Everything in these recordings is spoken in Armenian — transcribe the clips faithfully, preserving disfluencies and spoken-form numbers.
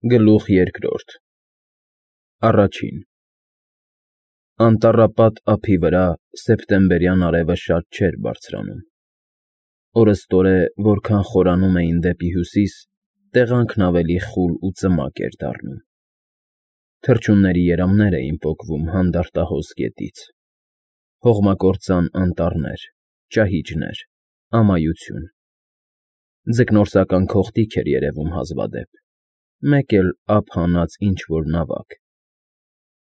Գլուխ երկրորդ Առաջին Անտառապատ ափի վրա սեպտեմբերյան արևը շատ չէր բարձրանում, օրըստօրե որքան խորանում էին դեպի հյուսիս, տեղանքն ավելի խուլ ու ծմակ էր դառնում, թռչունների երամներ էին պոկվում հանդարտահոս գետից, հողմակործան անտառներ, ճահիճներ, ամայություն, ձկնորսական քողտիկ էր երևում հազվադեպ, մեկ էլ ափ հանած ինչ֊որ նավակ,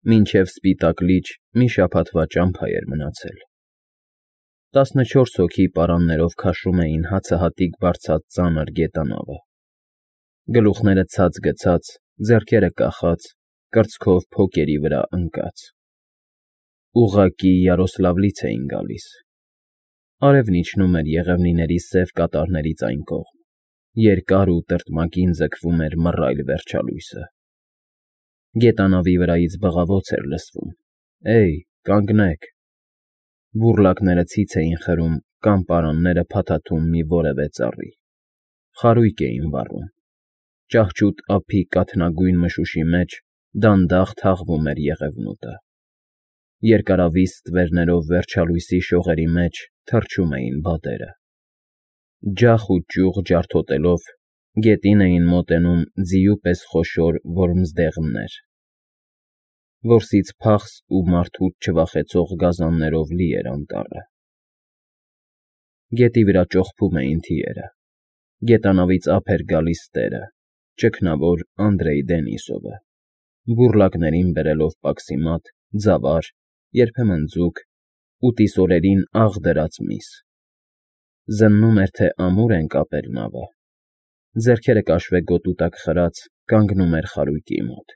մինչև Սպիտակ լիճ մի շաբաթվա ճամփա էր մնացել, տասնչորս հոգի պարաններով քաշում էին հացահատիկ բարձած ծանր գետանավը, գլուխները ցած գցած, ձեռքերը կախած, կրծքով փոկերի վրա ընկած, ուղղակի Յարոսլավլից էին գալիս, արևն իջնում էր Եղևնիների սև կատարներից այն կողմ, երկար ու տրտմակին ձգվում էր մռայլ վերջալույսը, գետանավի վրայից բղավոց էր լսվում. «Էյ, կանգնեք», բուռլակները ցից էին խրում կամ պարանները փաթաթում մի որևէ ծառի, խարույկ էին վառում, ճահճուտ ափի կաթնագույն մշուշի մեջ դանդաղ թաղվում էր եղևնուտը, երկարավիզ ստվերներով վերջալույսի շողերի մեջ թռչում էին բադերը, ջախ ու ճյուղ ջարդոտելով գետին էին մոտենում ձիու պես խոշոր որմզդեղներ, որսից փախս ու մարդուց չվախեցող գազաններով լի էր անտառը, գետի վրա ճոխփում էին թիերը, գետանավից ափ էր գալիս տերը, ճգնավոր Անդրեյ Դենիսովը, բուռլակներին բերելով պաքսիմատ, ձավար, երբեմն ձուկ, ուտիս օրերին աղ դրած միս, զննում էր, թե ամուր են կապել նավը, ձեռքերը կաշվե գոտու տակ խրած կանգնում էր խարույկի մոտ,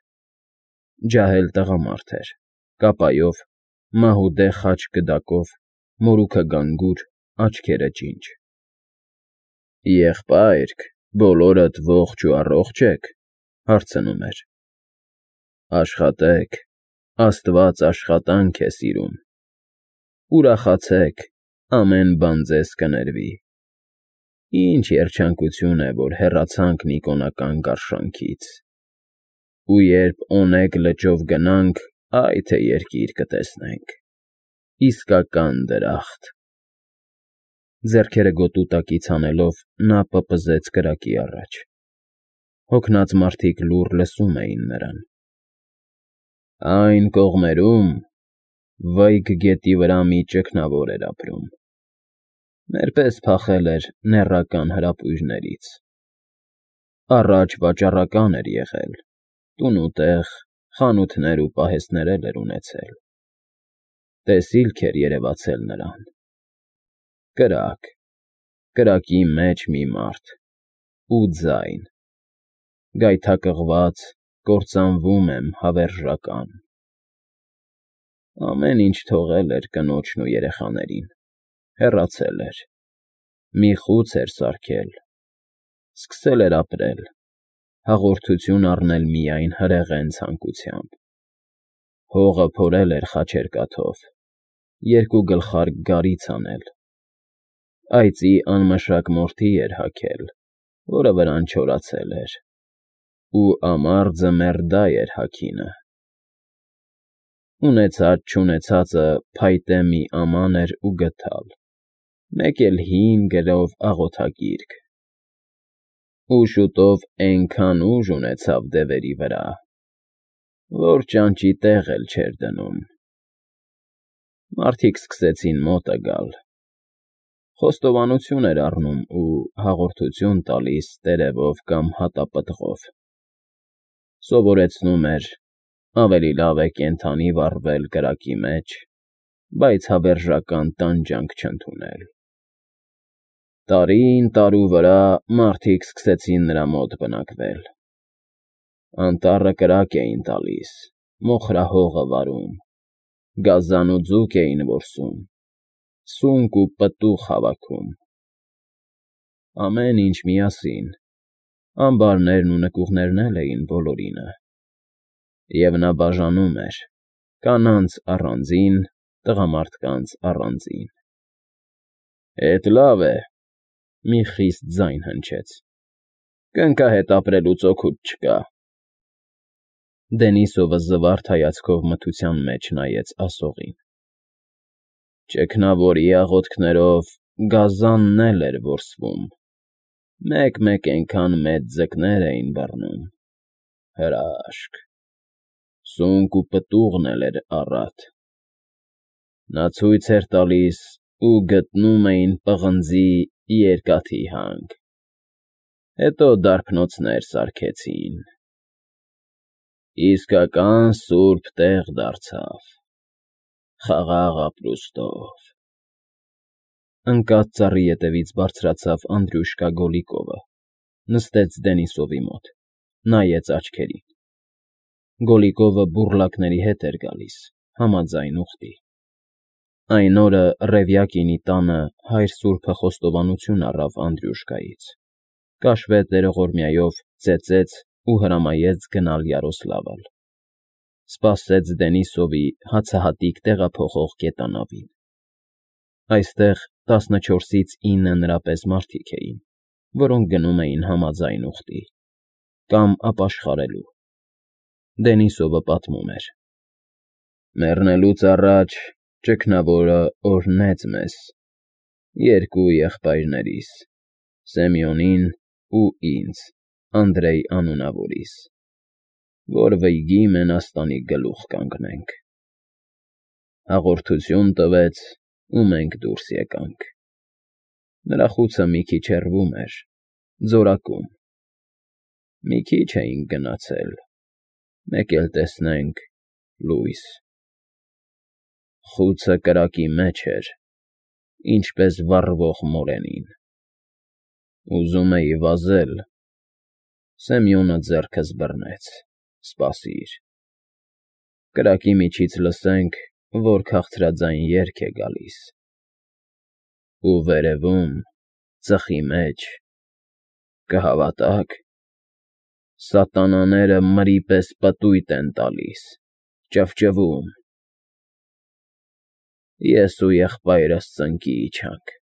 ջահել տղամարդ էր, կապայով, մահուդե խաչ գդակով, մորուքը գանգուր, աչքերը ջինջ։ ֊ Եղբայրք, բոլորդ ողջ ու առողջ եք,֊ հարցնում էր։ ֊ Աշխատեք, Աստված աշխատանք է սիրում, ուրախացեք, ամեն բան ձեզ կներվի, ինչ երջանկություն է, որ հեռացանք Նիկոնական գարշանքից, ու երբ Օնեգ լճով գնանք, այ թե երկիր կտեսնենք, իսկական դրախտ… Ձեռքերը գոտու տակից հանելով նա պպզեց կրակի առաջ, հոգնած մարդիկ լուռ լսում էին նրան։ ֊ Այն կողմերում Վայգ գետի վրա մի ճգնավոր էր ապրում, մեր պես փախել էր նեռական հրապույրներից, առաջ վաճառական էր եղել, տուն ու տեղ, խանութներ ու պահեստներ էլ էր ունեցել, տեսիլք էր երևացել նրան, կրակ, կրակի մեջ մի մարդ, ու ձայն, գայթակղված, կործանվում եմ հավերժական… Ամեն ինչ թողել էր կնոջն ու երեխաներին, հեռացել էր, մի խուց էր սարքել, սկսել էր ապրել, հաղորդություն առնել միայն հրեղեն ցանկությամբ, հողը փորել էր խաչերկաթով, երկու գլխարկ գարից անել, այծի անմշակ մորթի էր հագել, որը վրան չորացել էր, ու ամարձը մերդայ էր հագինը, ունեցած֊չունեցածը փայտե մի աման էր ու գդալ, մեկ էլ հին գրով աղոթագիրք, ու շուտով էնքան ուժ ունեցավ դևերի վրա, որ ճանճի տեղ էլ չէր դնում… Մարդիկ սկսեցին մոտը գալ, խոստովանություն էր առնում ու հաղորդություն տալիս տերևով կամ հատապտղով, սովորեցնում էր, ավելի լավ է կենդանի վառվել կրակի մեջ, բայց հավերժական տանջանք չընդունել… Տարին տարու վրա մարդիկ սկսեցին նրա մոտ բնակվել, անտառը կրակ էին տալիս, մոխրահողը վարում, գազան ու ձուկ էին որսում, սունկ ու պտուղ հավաքում, ամեն ինչ միասին, ամբարներն ու նկուղներն էլ էին բոլորինը, և նա բաժանում էր, կանանց առանձին, տղամարդկանց առանձին… ֊ Էդ լավ է,֊ մի խիստ ձայն հնչեց,֊ կնքահետ ապրելուց օգուտ չկա, Դենիսովը զվարթ հայացքով մթության մեջ նայեց ասողին։ Ճգնավորի աղոթքներով գազանն էլ էր որսվում, մեկ-մեկ էնքան մեծ ձկներ էին բռնում, հրաշք, սունկ ու պտուղն էլ էր առատ։ Նա ցույց էր տալիս ու գտնում էին պղնձի երկաթի հանք, հետո դարբնոցներ սարքեցին, իսկական սուրբ տեղ դարձավ, խաղաղ ապրուստով։ Ընկած ծառի ետևից բարձրացավ Անդրյուշկա Գոլիկովը, նստեց Դենիսովի մոտ, նայեց աչքերին։ Գոլիկովը բուռլակների հետ էր գալիս, համաձայն ուխտի։ Այն օրը Ռևյակինի տանը հայր սուրբը խոստովանություն առավ Անդրյուշկայից, կաշվե տերողորմյայով ծեծեց ու հրամայեց գնալ Յարոսլավլ, սպասեց Դենիսովի հացահատիկ տեղափոխող կետանավին։ Այստեղ տասնչորսից ինը նրա պես մարդիկ էին, որոնք գնում էին համաձայն ուխտի, կամ ապաշխարելու։ Դենիսովը պատմում էր. Մեռնելուց առաջ ճգնավորը օրհնեց մեզ, երկու եղբայրներիս, Սեմյոնին ու ինձ, Անդրեյ անունավորիս, որ վայգի մենաստանի գլուխ կանգնենք։ Հաղորդություն տվեց, ու մենք դուրս եկանք։ Նրա խուցը մի քիչ հեռվում էր, ձորակում։ Մի քիչ էինք գնացել, մեկ էլ տեսնենք լույս։ Խուցը կրակի մեջ էր, ինչպես վառվող մորենին։ Ուզում էի վազել, Սեմյոնը ձեռքս բռնեց, սպասիր։ Կրակի միջից լսենք, որ քաղցրաձայն երգ է գալիս։ Ու վերևում, ծխի մեջ, կհավատաք, սատանաները մրի պես պտույտ են տալիս, ճվճվում։ Ես ու եղբայրս ծնկի իջանք,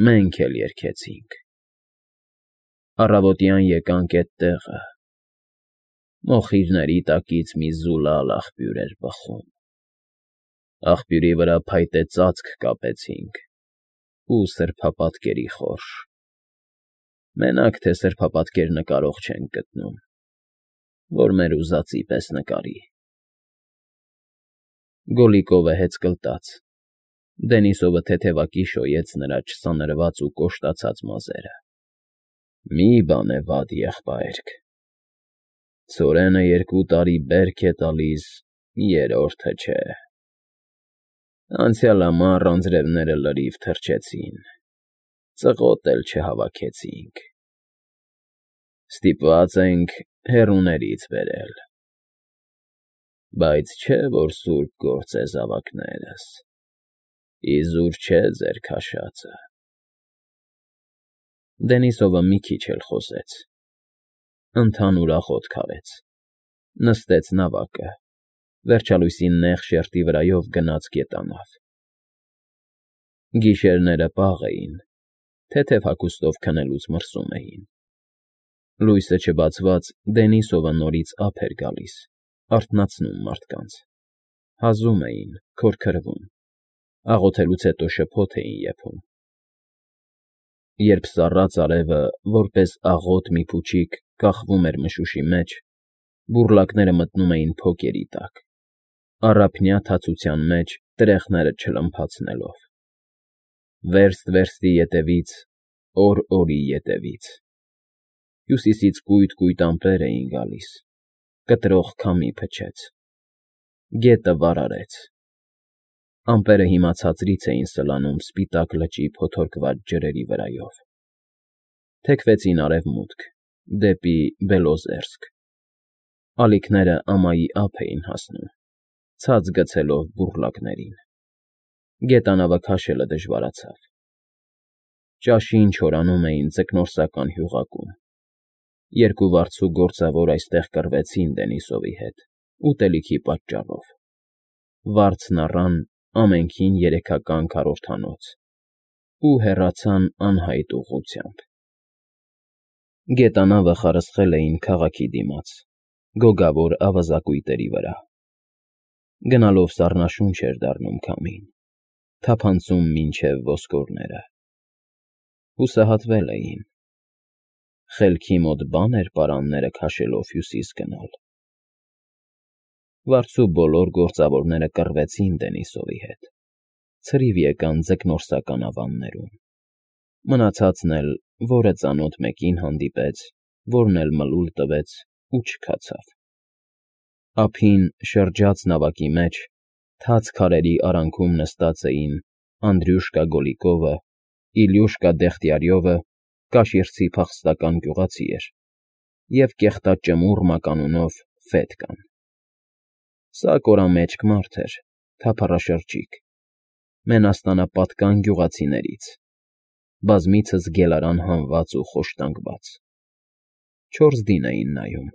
մենք էլ երգեցինք։ Առավոտյան եկանք էդ տեղը, մոխիրների տակից մի զուլալ աղբյուր էր բխում։ Աղբյուրի վրա փայտե ծածկ կապեցինք ու սրբապատկերի խորշ։ Մենակ թե սրբապատկեր նկարող չենք գտնում, որ մեր ուզածի պես նկարի։ Գոլիկովը հեծկլտաց, Դենիսովը թեթևակի շոյեց նրա չսանրված ու կոշտացած մազերը։ Մի բան է վատ, եղբայրք, ցորենը երկու տարի բերք է տալիս, երրորդը չէ։ Անցյալ ամառ անձրևները լրիվ թրջեցին, ծղոտ էլ չհավաքեցինք։ Ստիպված ենք հեռուներից բերել։ Բայց չէ, որ սուրբ գործ է զավակներս, իզուր չէ ձեր քաշածը։ Դենիսովը մի քիչ էլ խոսեց, ընդհանուր աղոթք արեց, նստեց նավակը, վերջալույսի նեղ շերտի վրայով գնաց գետանավ։ Գիշերները պաղ էին, թեթև հագուստով քնելուց մրսում էին։ Լույսը չբացված, Դենիսովը նորից ափ էր գալիս, արթնացնում մարդկանց։ Հազում էին, քորքրվում, աղոթելուց հետո շփոթ էին եփում։ Երբ սառած արևը, որպես աղոտ մի փուչիկ, կախվում էր մշուշի մեջ, բուռլակները մտնում էին փոկերի տակ, առափնյա թացության մեջ տրեխները չլմփացնելով։ Վերստ֊վերստի ետևից, օր֊օրի ետևից։ Հյուսիսից կույտ֊կույտ ամպեր էին գալիս, կտրող քամի փչեց։ Գետը վարարեց։ Ամպերը հիմա ցածրից էին սլանում սպիտակ լճի փոթորկված ջրերի վրայով։ Թեքվեցին արևմուտք, դեպի Բելոզերսկ։ Ալիքները ամայի ափ էին հասնում, ցած գցելով բուռլակներին։ Գետանավը քաշելը դժվարացավ։ Ճաշին չորանում էին ձկնորսական հյուղակում։ Երկու վարձու գործավոր այստեղ կռվեցին Դենիսովի հետ, ուտելիքի պատճառով։ Վարձն առան ամենքին երեքական քառորդանոց ու հեռացան անհայտ ուղղությամբ։ Գետանավը խարսխել էին քաղաքի դիմաց, գոգավոր ավազակույտերի վրա։ Գնալով սառնաշունչ էր դառնում քամին, թափանցում մինչև ոսկորները։ Հուսահատվել էին։ Խելքի մոտ բան էր պարանները քաշելով հյուսիս գնալ։ Վարձու բոլոր գործավորները կռվեցին Դենիսովի հետ, ցրիվ եկան ձկնորսական ավաններում։ Մնացածն էլ, որը ծանոթ մեկին հանդիպեց, որն էլ մլուլ տվեց ու չքացավ։ Ափին շրջած նավակի մեջ, թաց քարերի արանքում նստած էին Անդրյուշկա Գոլիկովը, Իլյուշկա Դեղտյարյովը, Կաշիռցի փախստական գյուղացի էր, և կեղտաճմուռ մականունով Ֆետկան։ Սա կորամեջք մարդ էր, թափառաշրջիկ, մենաստանապատկան գյուղացիներից, բազմիցս գելարան հանված ու խոշտանգված։ Չորս դին էին նայում։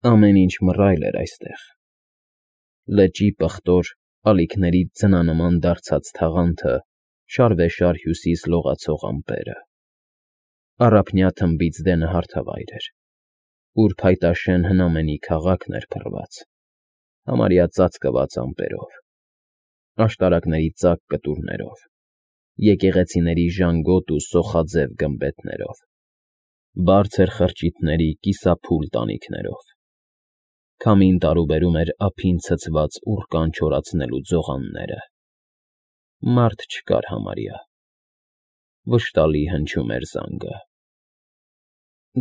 Ամեն ինչ մռայլ էր այստեղ. լճի պղտոր, ալիքներից ձնանման դարձած թաղանթը, շարվեշար հյուսիս լողացող ամպերը։ Առափնյա թմբից դենը հարթավայր էր, ուր փայտաշեն հնամենի քաղաքն էր փռված, համարյա ծածկված ամպերով, աշտարակների ծակ կտուրներով, եկեղեցիների ժանգոտ ու սոխաձև գմբեթներով, բարձր խրճիթների կիսափուլ տանիքներով։ Քամին տարուբերում էր ափին ցցված ուռկան չորացնելու ձողանները։ Մարդ չկար համարյա։ Վշտալի հնչում էր զանգը։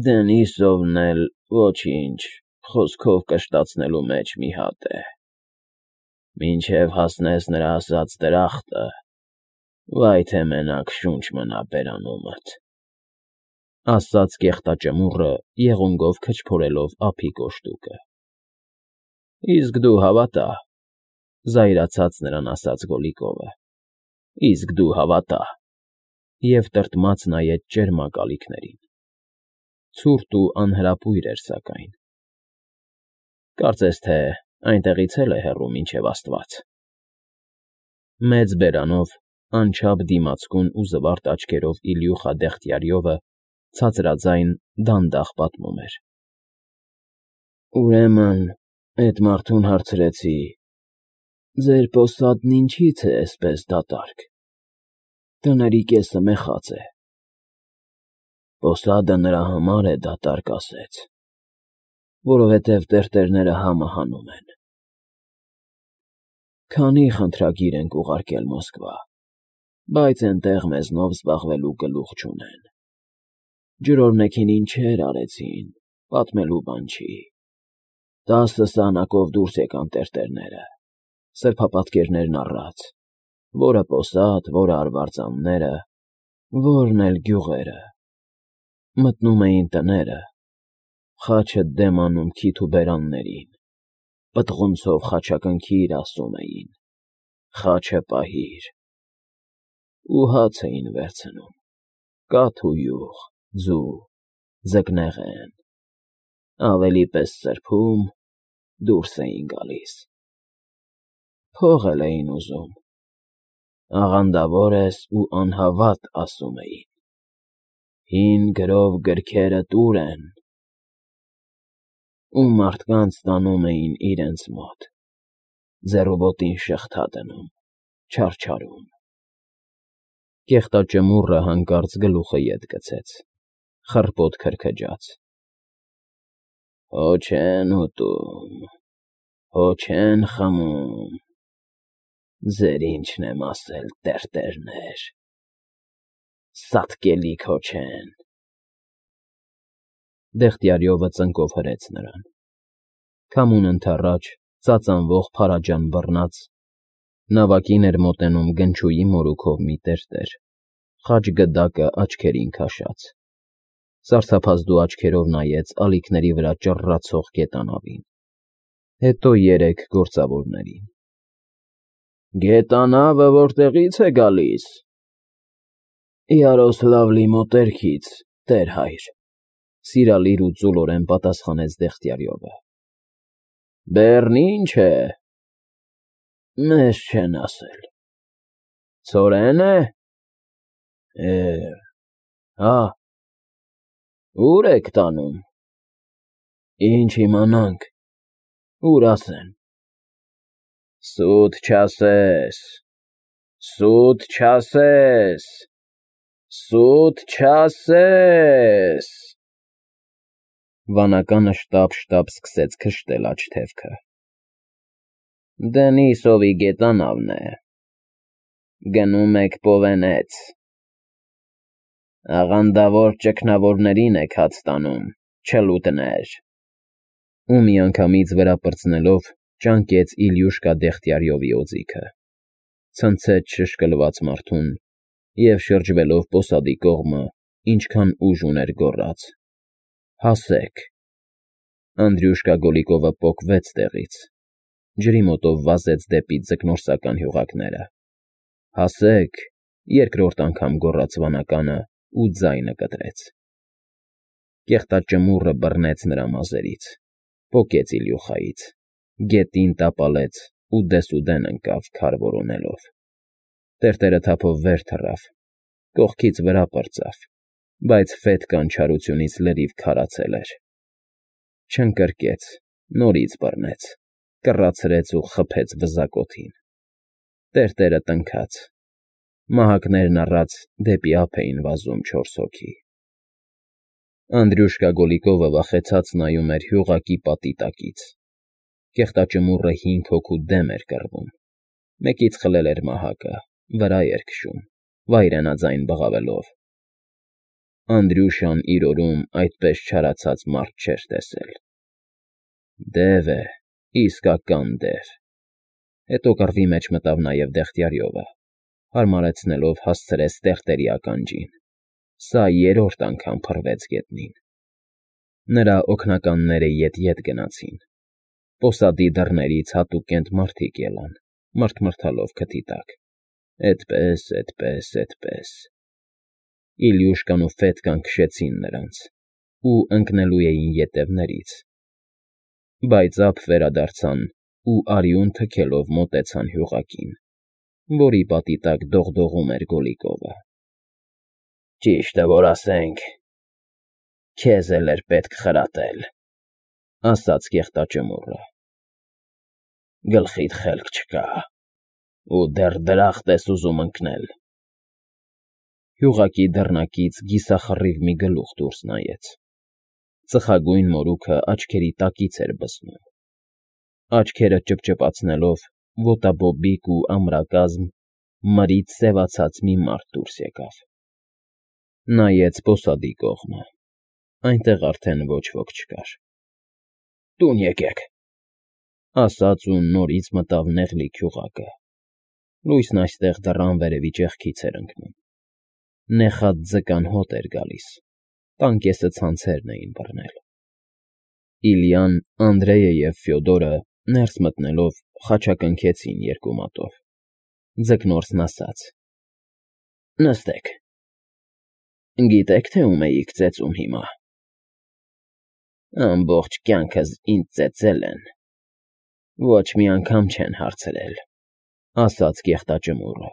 Դենիսովն էլ ոչինչ, խոսքով կշտացնելու մեջ մի հատ է։ Մինչև հասնես նրա ասած դրախտը, վայ թե մենակ շունչ մնա բերանումդ, ասաց կեղտաճմուռը, եղունգով քչփորելով ափի կոշտուկը։ Իսկ դու հավատա, զայրացած նրան ասաց Գոլիկովը, իսկ դու հավատա, և տրտմած նայեց ճերմակ ալիքներին։ Ցուրտ ու անհրապույր էր սակայն։ Կարծես թե այնտեղից էլ է հեռու մինչև Աստված։ Մեծ բերանով, անչափ դիմացկուն ու զվարթ աչքերով Իլյուխա Դեղտյարյովը ցածրաձայն դանդաղ պատմում էր. Ուրեմն, էդ մարդուն հարցրեցի. ձեր պոսատն ինչի՞ց է էսպես դատարկ, տների կեսը մեխած է։ Պոսադը նրա համար է դատարկ, ասեց, որովհետև տերտերները համը հանում են։ Քանի խնդրագիր ենք ուղարկել Մոսկվա, բայց էնտեղ մեզնով զբաղվելու գլուխ չունեն։ Ջրօրնեքին ինչեր արեցին, պատմելու բան չի։ Տասը սահնակով դուրս եկան տերտերները, սրբապատկերներն առած, որը պոսատ, որը արվարձանները, որն էլ գյուղերը։ Մտնում էին տները, խաչը դեմ անում քիթ ու բերաններին, պտղունցով խաչակնքիր ասում էին, խաչը պահիր։ Ու հաց էին վերցնում, կաթ ու յուղ, ձու, ձկնեղեն, ավելի պես սրբում, դուրս էին գալիս։ Փող էլ էին ուզում, աղանդավոր ես ու անհավատ ասում էին, հին գրով գրքերդ ուր են։ Ու մարդկանց տանում էին իրենց մոտ, ձեռուբոտին շղթա դնում, չարչարում։ Կեղտաճմուռը հանկարծ գլուխը ետ գցեց, խռպոտ քրքջաց. Հո չեն ուտում, հո չեն խմում, ձեր ինչն եմ ասել, տերտերներ, սատկելիք հո չեն։ Դեղտյարյովը ծնկով հրեց նրան։ Քամուն ընդառաջ, ծածանվող փարաջան բռնած, նավակին էր մոտենում գնչուի մորուքով մի տերտեր, խաչ գդակը աչքերին քաշած։ Սարսափազդու աչքերով նայեց ալիքների վրա ճռռացող գետանավին, հետո երեք գործավորներին։ Գետանավը որտեղի՞ց է գալիս։ Յարոսլավլի մոտերքից, տեր հայր, սիրալիր ու ծուլորեն պատասխանեց Դեղտյարյովը։ Բեռն ի՞նչ է։ Մեզ չեն ասել։ Ցորեն է։ Է, հա։ Ո՞ւր եք տանում։ Ինչ իմանանք, ուր ասեն։ Սուտ չասես, սուտ չասես, սուտ չասես։ Վանականը շտապ-շտապ սկսեց քշտել աջ թևքը։ Դենիսովի գետանավն է, գնում եք Պովենեց, աղանդավոր ճգնավորներին եք հաց տանում, չլուտներ։ Ու միանգամից վրա պրծնելով ճանկեց Իլյուշկա Դեղտյարյովի օձիքը, ցնցեց շշկլված մարդուն և շրջվելով պոսադի կողմը, ինչքան ուժ ուներ գոռաց. «Հասեք»։ Անդրյուշկա Գոլիկովը պոկվեց տեղից, ջրի մոտով վազեց դեպի ձկնորսական հյուղակները։ «Հասեք», երկրորդ անգամ գոռաց վանականը ու ձայնը կտրեց։ Կեղտաճմուռը բռնեց նրա մազերից, պոկեց Իլյուխայից, գետին տապալեց ու դեսուդեն ընկավ քար որոնելով։ Տերտերը թափով վեր թռավ, կողքից վրա պրծավ, բայց ֆետկան չարությունից լրիվ քարացել էր։ Չընկրկեց, նորից բռնեց, կռացրեց ու խփեց վզակոթին։ Տերտերը տնքաց, մահակներն առած դեպի ափ էին վազում չորս հոգի։ Անդրյուշկա Գոլիկովը վախեցած նայում էր հյուղակի պատի տակից։ Կեղտաճմուռը հինգ հոգու դեմ էր կռվում, մեկից խլել էր մահակը, վրա էր քշում, վայրենաձայն բղավելով։ Անդրյուշան իր օրում այդպես չարացած մարդ չէր տեսել։ Դև է, իսկական դև։ Հետո կռվի մեջ մտավ նաև Դեղտյարյովը, հարմարեցնելով հասցրեց տերտերի ականջին։ Սա երրորդ անգամ փռվեց գետնին։ Նրա օգնականները ետ֊ետ գնացին։ Պոսադի դռներից հատուկենտ մարդիկ ելան, մռթմռթալով քթի տակ։ Էդպես, էդպես, էդպես։ Իլյուշկան ու Ֆետկան քշեցին նրանց ու ընկնելու էին ետևներից, բայց ափ վերադարձան ու արյուն թքելով մոտեցան հյուղակին, որի պատի տակ դողդողում էր Գոլիկովը։ Ճիշտը որ ասենք, քեզ էլ էր պետք խրատել, ասաց կեղտաճմուռը։ Գլխիդ խելք չկա, ու դեռ դրախտ ես ուզում ընկնել։ Հյուղակի դռնակից կիսախռիվ մի գլուխ դուրս նայեց։ Ծխագույն մորուքը աչքերի տակից էր բսում։ Աչքերը ճպճպացնելով ոտաբոբիկ ու ամրակազմ, մրից սևացած մի մարդ դուրս եկավ։ Նայեց պոսադի կողմը, այնտեղ արդեն ոչ ոք չկար։ Տուն եկեք, ասաց ու նորից մտավ նեղլիկ հյուղակը։ Լույսն այստեղ դեռ անվերևի ճեղքից էր ընկնում։ Նեխած ձկան հոտ էր գալիս, տան կեսը ցանցերն էին բռնել։ Իլյան, Անդրեյը և Ֆյոդորը ներս մտնելով խաչակնքեցին երկու մատով։ Ձկնորսն ասաց. Նստեք։ Գիտեք, թե ում էիք ծեծում հիմա։ Ամբողջ կյանքս ինձ ծեծել են, ոչ մի անգամ չեն հարցրել, ասաց կեղտաճմուռը։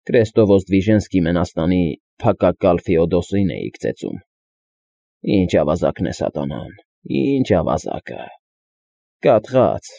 Կրեստովոզդվիժենսկի Մենաստանի փակակալ Ֆեոդոսին էիք ծեծում։ Ինչ ավազակն է սատանան, ինչ ավազակը։ Կաթղած,